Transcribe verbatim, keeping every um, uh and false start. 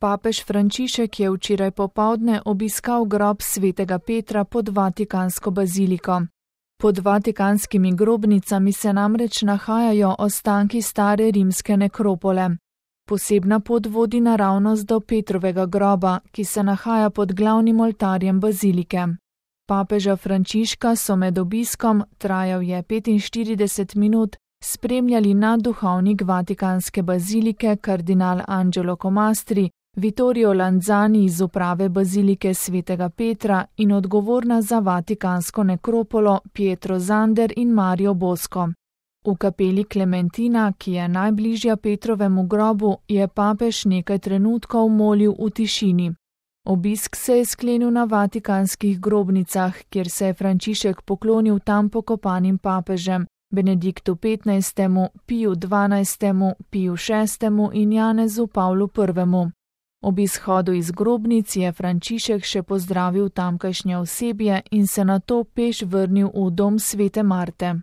Papež Frančišek je včeraj popoldne obiskal grob svetega Petra pod Vatikansko baziliko. Pod vatikanskimi grobnicami se namreč nahajajo ostanki stare rimske nekropole. Posebna pot vodi naravnost do Petrovega groba, ki se nahaja pod glavnim oltarjem bazilike. Papeža Frančiška so med obiskom, trajal je petinštirideset minut, spremljali nadduhovnik Vatikanske bazilike kardinal Angelo Comastri, Vittorio Lanzani iz uprave bazilike svetega Petra in odgovorna za Vatikansko nekropolo Pietro Zander in Mario Bosco. V kapeli Klementina, ki je najbližja Petrovemu grobu, je papež nekaj trenutkov molil v tišini. Obisk se je sklenil na vatikanskih grobnicah, kjer se je Frančišek poklonil tam pokopanim papežem, Benediktu petnajstemu, Piju dvanajstemu, Piju šestemu in Janezu Pavlu prvemu. Ob izhodu iz grobnic je Frančišek še pozdravil tamkajšnje osebje in se nato peš vrnil v dom svete Marte.